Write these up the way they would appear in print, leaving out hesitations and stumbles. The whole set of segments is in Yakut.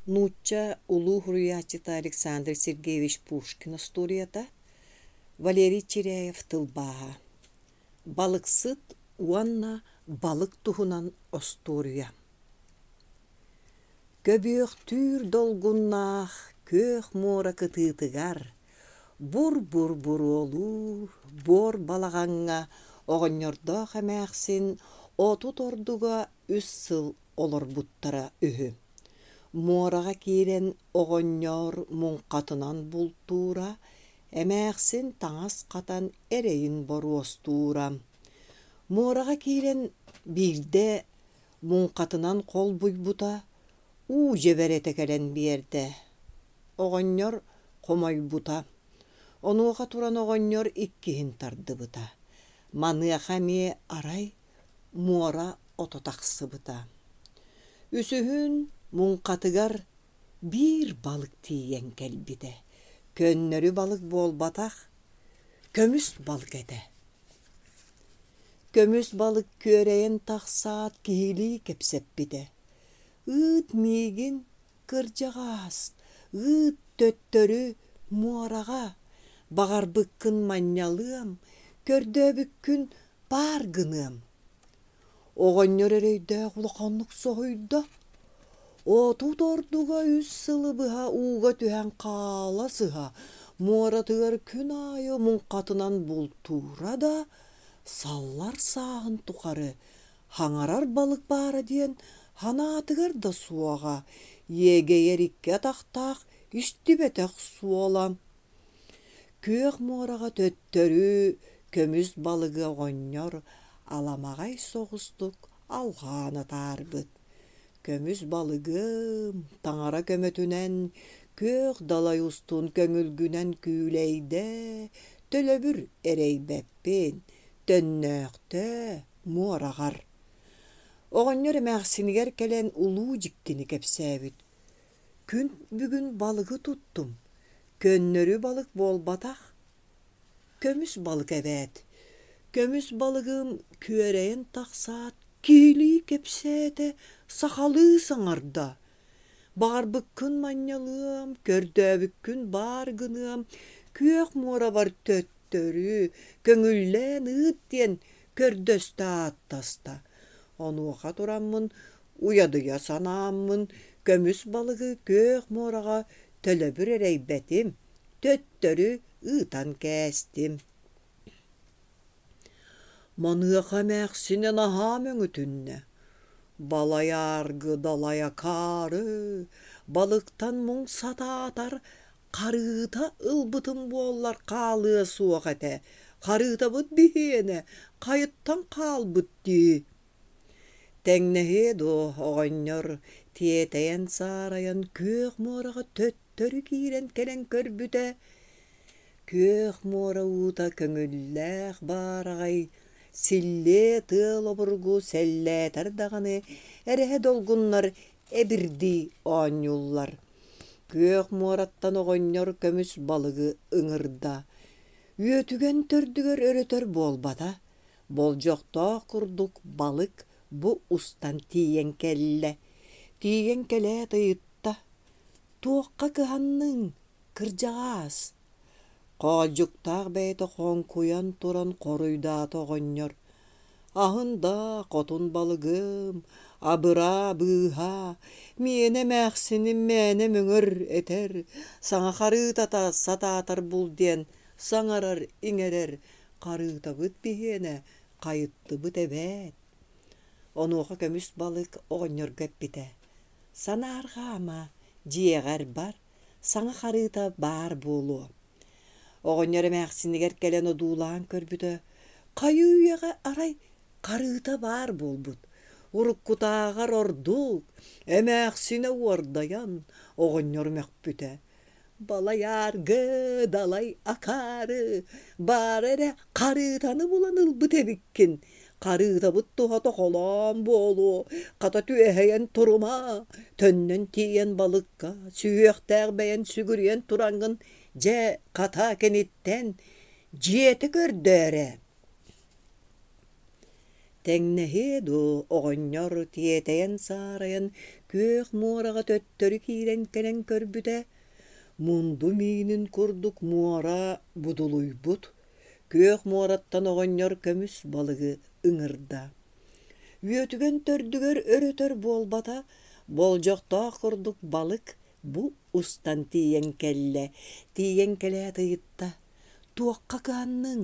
Нуучча улуу суруйааччыта Александр Сергеевич Пушкин остуоруйата, Валерий Чиряев тылбааһа. Балыксыт уонна балык туһунан остуоруйа. Көбүөхтүүр долгуннаах күөх муора кытыытыгар бур-бур буруолуур буор балаҕаҥҥа оҕонньордоох эмээхсин 30 ордуга үс сыл олорбуттара үһү. Муораҕа киирэн оҕонньор муҥхатынан бултуура, эмээхсин таҥас хатан эрэйин боруостуура. Муораҕа киирэн биирдэ муҥхатынан холбуйбута, уу дьэбэрэтэ кэлэн биэрдэ. Оҕонньор хомойбута. Онуоха туран оҕонньор иккиһин тардыбыта. Маныаха эмиэ арай муора ото тахсыбыта. Үсүһүн муҥхатыгар биир балык тиийэн кэлбитэ. Көннөрү балык буолбатах, көмүс балык этэ. Көмүс балык күөрэйэн тахсаат киһилии кэпсэппитэ: «Ыыт миигин, кырдьаҕаас, ыыт төттөрү муораҕа, баҕарбыккын манньалыам, көрдөөбүккүн баар гыныам». Оҕонньор эрэйдээх улаханнык соһуйда: 30 ордуга үс сылы быһа ууга түһэн хаала сыһа, муоратыгар күн аайы муҥхатынан бултуура да, саллар сааһын тухары хаҥарар балык баара диэн санаатыгар да суоҕа, иэгэйэр икки атахтаах истибэтэх суола. Күөх муораҕа төттөрү көмүс балыгы оҕонньор аламаҕай соҕустук алҕаан атаарбыт. Көмүс балыгым таҥара көмөтүнэн күөх далай устун көҥүлгүнэн күүлэйдэ, төлөбүр эрэйбэппин, төннөөхтөө муораҕар. Оҕонньор эмээхсинигэр кэлэн улуу дьиктини кэпсээбит. Күн бүгүн балыгы туттум, көннөрү балык буолбатах, көмүс балык эбээт. Көмүс балыгым күөрэйэн тахсаат, киһилии кэпсээтэ, сахалыы саҥарда: «Баҕарбыккын манньалыам, көрдөөбүккүн баар гыныам, күөх муорабар төттөрү, көҥүллээн ыыт» диэн көрдөстө ааттаста. Онуоха тураммын Уйадыйа санааммын, көмүс балыгы күөх муораҕа төлөбүр эрэйбэтим, төттөрү ыытан кээстим. Маныаха эмээхсинэ наһаа мөҥүтүннэ: «Балай ааргы далай акаары, балыктан муҥ сатаатар, харыыта ылбытым буоллар хаалыа суох этэ, харыытабыт биһиэнэ хайыттан хаалбыт дии» Тэҥнэһиэ дуо, оҕонньор тиэтэйэн-саарайан күөх муораҕа төттөрү киирэн кэлэн көрбүтэ, күөх муора уута көҥүллээх баараҕай, силлиэ тыал обургу сэллээтэр даҕаны эрэһэ долгуннар эбирдии оонньууллар. Күөх муораттан оҕонньор көмүс балыгы ыҥырда. Үөтүгэн төрдүгэр өрөтөр буолбата, Болдьохтоох курдук балык бу устан тиийэн кэллэ. Тиийэн кэлээт ыйытта: «Туохха кыһанныҥ, кырдьаҕаас?» Хоолдьуктаах бэйэтэ хоҥкуйан туран хоруйдаата оҕонньор: «Аһын да, хотун балыгым, абыраа, быыһаа, миэнэ эмээхсиним мээнэ мөҥөр этэр, саҥа харыытата сатаатар бул диэн саҥарар-иҥэрэр, Харыытабыт биһиэнэ, хайыттыбыт эбээт Онуоха көмүс балык оҕонньорго эппитэ: «Санаарҕаама, дьиэҕэр бар, саҥа харыыта баар буолуо» Оҕонньор эмээхсинигэр кэлэн одуулаан көрбүтэ, хайыы-үйэҕэ арай харыыта баар буолбут. Уруккутааҕар ордук, эмээхсинэ уордайан, оҕонньор мөхпүтэ: Балайааргы, далай акаары, баара эрэ харыытаны булан ылбыт эбиккин. Харыытабыт туһата холоон буолуо, хата түөһэйэн турума, төннөн тиийэн балыкка, сүһүөхтээх бэйэн сүгүрүйэн тураҥҥын, дьэ, хата киниттэн дьиэтэ көрдөөрэ. Тэҥнэһиэ дуо, оҕонньор тиэтэйэн-саарайан күөх муораҕа төттөрү киирэн кэлэн көрбүтэ, мунду миинин курдук муора будулуйбут, күөх муораттан оҕонньор көмүс балыгы ыҥырда. Үөтүгэн төрдүгэр өр-өтөр буолбата, болдьохтоох курдук балык бу устан тиийэн кэллэ, тиийэн кэлээт ыйытта: «Туохха кыһанныҥ,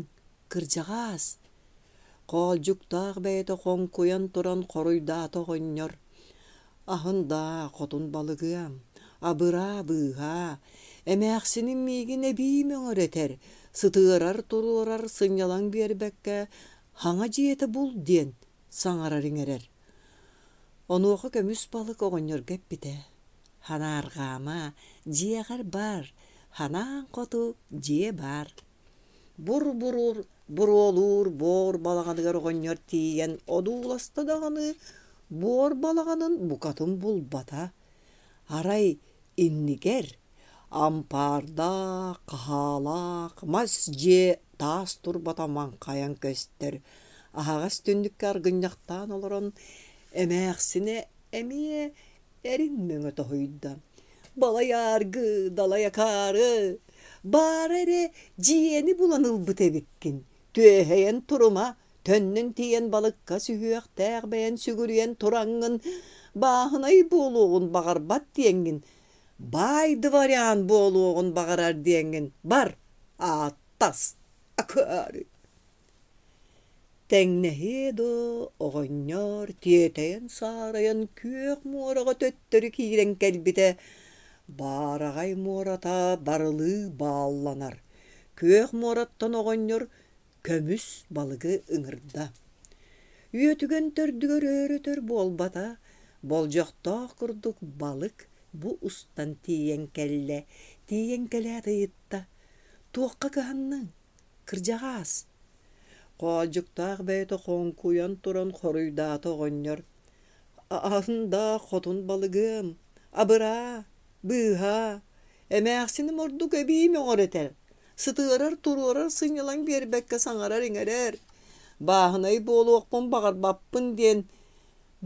кырдьаҕаас?» Хоолдьуктаах бэйэтэ хоҥкуйан туран хоруйдаата оҕонньор: «Аһын даа, хотун балыгыам, абыраа, быыһаа, эмээхсиним миигин эбии мөҥөр этэр, сытыарар-туруорар сынньалаҥ биэрбэккэ хаҥа дьиэтэ бул диэн саҥарар-иҥэрэр». Онуоха көмүс балык оҕонньорго эппитэ: «Ханаарҕаама, дьиэҕэр бар, ханаан хоту дьиэ баар». Бур-бурур буруолуур буор балаҕаныгар оҕонньор тиийэн одууласта даҕаны буор балаҕанын букатын булбата. Арай иннигэр ампаардаах, хаһаалаах мас дьиэ таас турбата маҥхайан көстөр. Аһаҕас түннүккэ аргынньахтаан олорон эмээхсинэ эмиэ эрин мөҥө тоһуйда: «Балайааргы, далай акаары, баара эрэ дьиэни булан ылбыт эбиккин, түөһэйэн турума, төннөн тиийэн балыкка сүһүөхтээх бэйэн сүгүрүйэн тураҥҥын, бааһынай буолуоҕун баҕарбат диэҥҥин, баай дворян буолуоҕун баҕарар диэҥҥин бар, ааттас, акаары!» Тэҥнэһиэ дуо, оҕонньор тиэтэйэн-саарайан күөх муораҕа төттөрү киирэн кэлбитэ, баараҕай муората барылыы баалланар, күөх муораттан оҕонньор көмүс балыгы ыҥырда. Үөтүгэн төрдүгэр өр-өтөр буолбата, болдьохтоох курдук балык бу устан тиийэн кэллэ, тиийэн кэлээт ыйытта: «Туохха кыһанныҥ, кырдьаҕаас?» Хоолдьуктаах бэйэтэ хоҥкуйан туран хоруйдаата оҕонньор: «Аһын да хотун балыгым, абыраа, быыһаа, эмээхсиним ордук эбии мөҕөр этэр, сытыарар-туруорар сынньалаҥ биэрбэккэ саҥарар-иҥэрэр, бааһынай буолуохпун баҕарбаппын диэн,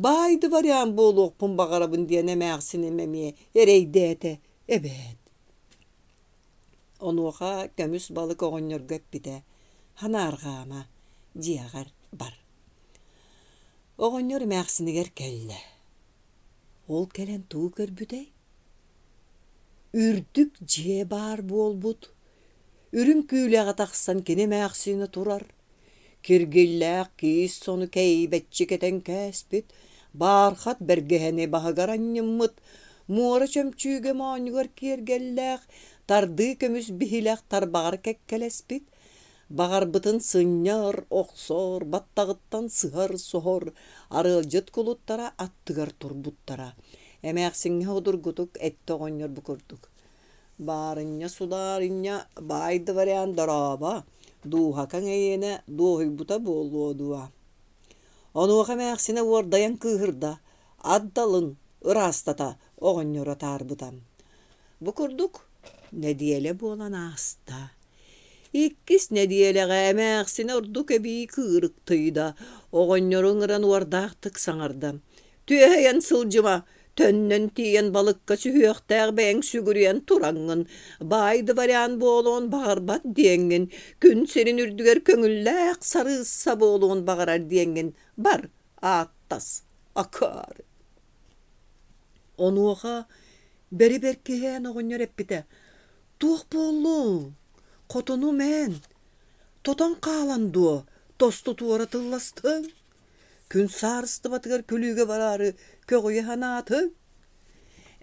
баай дворян буолуохпун баҕарабын диэн эмээхсиним эмиэ эрэйдээтэ эбээт» Онуоха көмүс балык оҕонньорго эппитэ: «Ханаарҕаама, дьиэҕэр бар». Оҕонньор эмээхсинигэр кэллэ. Ол кэлэн тугу көрбүтэй? Үрдүк дьиэ баар буолбут. Үрүҥ күүлэҕэ тахсан кини эмээхсинэ турар. Киргиллээх киис сону кэйбэччи кэтэн кээспит, баархат бэргэһэни баһыгар анньыммыт, муора чөмчүүгэ моонньугар киэргэллээх, тардыы көмүс биһилэх тарбаҕар кэккэлэспит, баҕарбытын сынньар, охсор, баттаҕыттан сыһар-соһор, арыалдьыт кулуттара аттыгар турбуттара. Эмээхсиҥҥэ судургутук эттэ оҕонньор бу курдук: Баарынньа, судаарынньа, баай дворян дорообо, дууһакаҥ эйиэнэ дуоһуйбута буолуо дуо? Онуоха эмээхсинэ уордайан кыыһырда, ат далын ыраастата оҕонньоро атаарбыта. Бу курдук нэдиэлэ буолан ааста. Иккис нэдиэлэҕэ эмээхсинэ ордук эбии кыырыктыйда, оҕонньору ыҥыран уордаахтык саҥарда: Түөһэйэн сылдьыма, төннөн тиийэн балыкка сүһүөхтээх бэйэҥ сүгүрүйэн тураҥҥын, баай дворян буолуон баҕарбат диэҥҥин, күн сирин үрдүгэр көҥүллээх сарыысса буолуон баҕарар диэҥҥин бар, ааттас, акаары. Онуоха бэри-бэркиһээн оҕонньор эппитэ: «Туох буоллуҥ? Хотунум эн, тотон хаалан дуо, тосту туора тылластыҥ? Күн саарыстыбатыгар күлүүгэ бараары көҕүйэ санаатыҥ?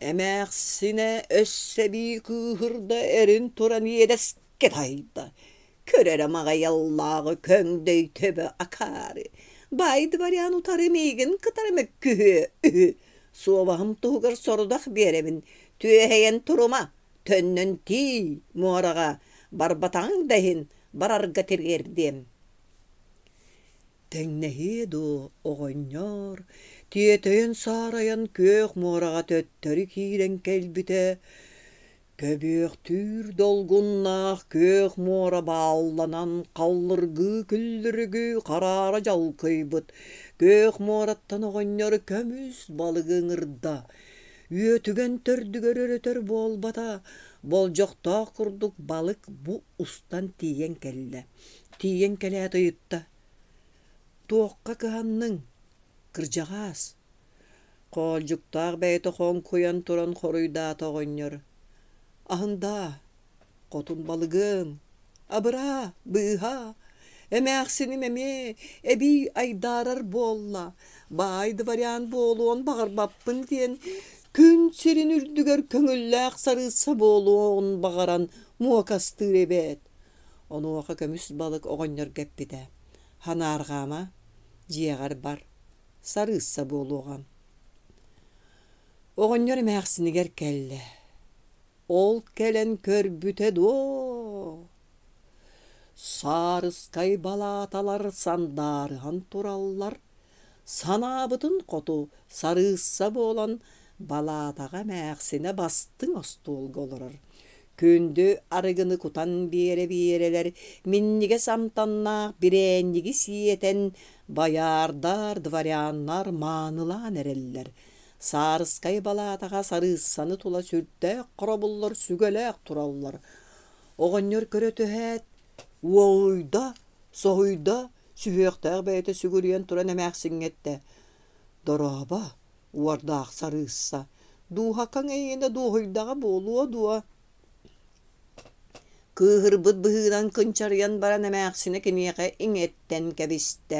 Эмээхсинэ өссө эбии кыыһырда эрин туран иэдэскэ таһыйда. Көр эрэ маҕайаллааҕы көҥдөй төбө акаары. Баай дворян утары миигин кытары мөккүһүө үһү. Суобаһым туһугар сорудах биэрэбин, түөһэйэн турума, төннөн тиий муораҕа, барбатаҕыҥ да иһин барарга тириэрдиэм. Тэҥнэһиэ дуо, оҕонньоор, тиэтэйэн-саарайан күөх муораҕа төттөрү киирэн кэлбитэ, көбүөхтүүр долгуннаах күөх муора баалланан халлыргыы күллүрүгүү хараара дьалкыйбыт, Күөх муораттан оҕонньор көмүс балыгы ыҥырда. Үөтүгэн төрдүгэр өрөтөр буолбата, болдьохтоох курдук балык бу устан тиийэн кэллэ. Тиийэн кэлээт ыйытта: «Туохха кыһанныҥ, кырдьаҕаас?» Хоолдьуктаах бэйэтэ хоҥкуйан туран хоруйдаата оҕонньор: «Аһындаа, хотун балыгым, абыраа, быыһаа, эмээхсиним эмиэ эбии айдаарар буолла, баай дворян буолуон баҕарбаппын диэн күн сирин үрдүгэр көҥүллээх сарыысса буолуон баҕаран муокастыыр эбээт». Онуоха көмүс балык оҕонньорго эппитэ: «Ханаарҕаама, дьиэҕэр бар, сарыысса буолуоҕа. Оҕонньор эмээхсинигэр кэллэ. Ол кэлэн көрбүтэ дуо? Саарыскай балааталар сандаарыһан тураллар, санаабытын хоту сарыысса буолан балаатаҕа эмээхсинэ бастыҥ остуолга олорор. Күндү арыгыны кутан биэрэ-биэрэлэр минньигэс амтаннаах бирээнньиги сиэтэн байаардар, дворяннар маанылаан эрэллэр. Саарыскай балаатаҕа сарыыссаны тула сүрдээх хоробуллар сүгэлээх тураллар. Оҕонньор көрө түһээт, уолуйда, соһуйда, сүһүөхтээх бэйэтэ сүгүрүйэн туран эмээхсиҥҥэ эттэ: «Дорообо, уордаах сарыысса, дууһакаҥ эйиэнэ дуоһуйдаҕа буолуо дуо?» Кыыһырбыт быһыынан кынчарыйан баран эмээхсинэ киниэхэ иҥэттэн кэбистэ.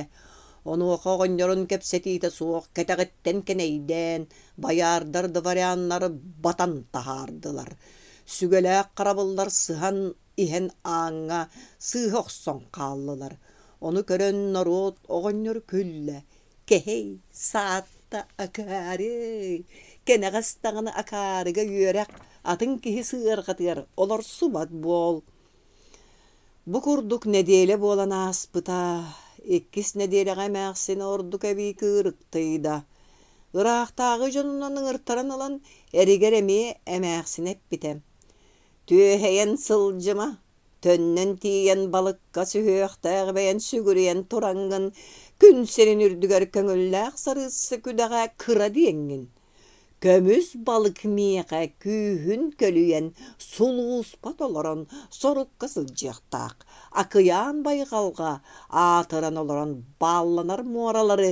Онуоха оҕонньорун кэпсэтиитэ суох кэтэҕиттэн кэнэйдээн, байаардар дворяннар батан таһаардылар. Сүгэлээх харабыллар сыһан иһэн ааҥҥа сыыһа охсон хааллылар. Ону көрөн норуот оҕонньор күллэ, Кэһэй, саатта акаарый, кэнэҕэс даҕаны акаарыга үөрэх, атын киһи сыарҕатыгар олорсубат буол. Бу курдук нэдиэлэ буолан ааспыта. Иккис нэдиэлэҕэ эмээхсин ордук эбии кыырыктыйда. Ыраахтааҕы дьонунан ыҥыртаран ылан, эригэр эмиэ эмээхсинэ эппитэ: «Түөһэйэн сылдьыма, Төннөн тиийэн балыкка сүһүөхтээх бэйэн сүгүрүйэн тураҥҥын, күн сирин үрдүгэр көҥүллээх сарыысса күдэҕэ кыра диэҥҥин. Көмүс балык миэхэ күүһүн көлүйэн, сулууспа толорон сорукка сылдьыахтаах. Акыйаан байҕалга аатыран олорон баалланар муоралары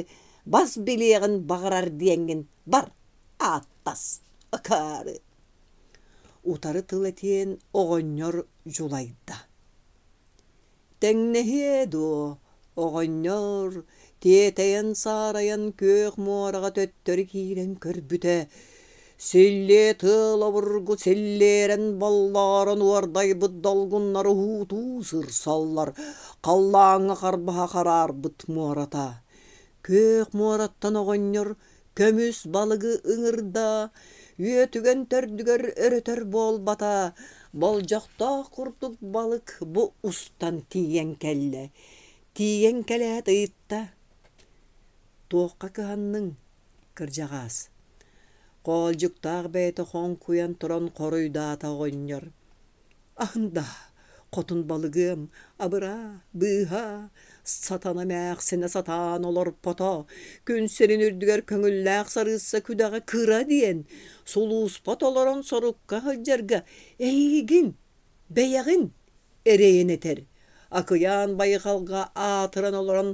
бас билиэҕин баҕарар диэҥҥин бар, ааттас, акаары. Утары тыл этиэн оҕонньор дьулайда: «Тэҥнэһиэ дуо, оҕонньор, тиэтэйэн-саарайан күөх муораҕа төттөрү киирэн көрбүтэ, силлиэ тыал обургу силлиэрэн боллоорон уордайбыт долгуннар уһуутуу сырсаллар, халлааҥҥа харбаһа хараарбыт муората. Күөх муораттан оҕонньор көмүс балыгы ыҥырда, үөтүгэн төрдүгэр өрөтөр буолбата, болдьохтоох курдук балык бу устан тиийэн кэллэ. Тиийэн кэлээт ыйытта: «Туохха кыһанныҥ, кырдьаҕаас?» Хоолдьуктаах бэйэтэ хоҥкуйан туран хоруйдаата оҕонньор: Аһында, хотун балыгыам, абыраа, быыһаа, сатана эмээхсинэ сатаан олорпото, күн сирин үрдүгэр көҥүллээх сарыысса күдэҕэ кыра диэн, сулууспа толорон сорукка сылдьарга эйигин, бэйэҕин эрэйин этэр. Акыйаан байҕалга аатыран олорон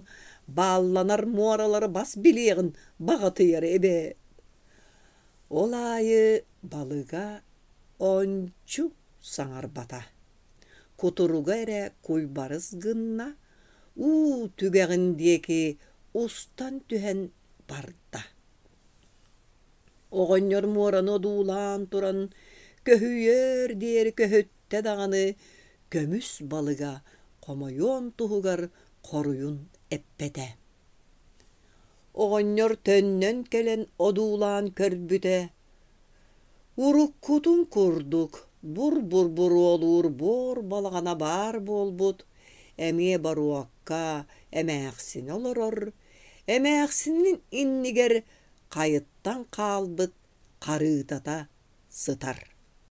баалланар муоралары бас билиэҕин баҕатыйар эбээт. Ол аайы балыга ончу саҥарбата, кутуруга эрэ куйбарыс гынна, уу түгэҕин диэки устан түһэн барда. Оҕонньор муораны одуулаан туран көһүйүөр диэри көһүттэ даҕаны көмүс балыга хомойуон туһугар хоруйун эппэтэ. Оҕонньор төннөн кэлэн одуулаан көрбүтэ, уруккутун курдук бур-бур буруолуур буор балаҕана баар буолбут, эмиэ боруокка эмээхсинэ олорор, эмээхсинин иннигэр хайыттан хаалбыт харыытата сытар.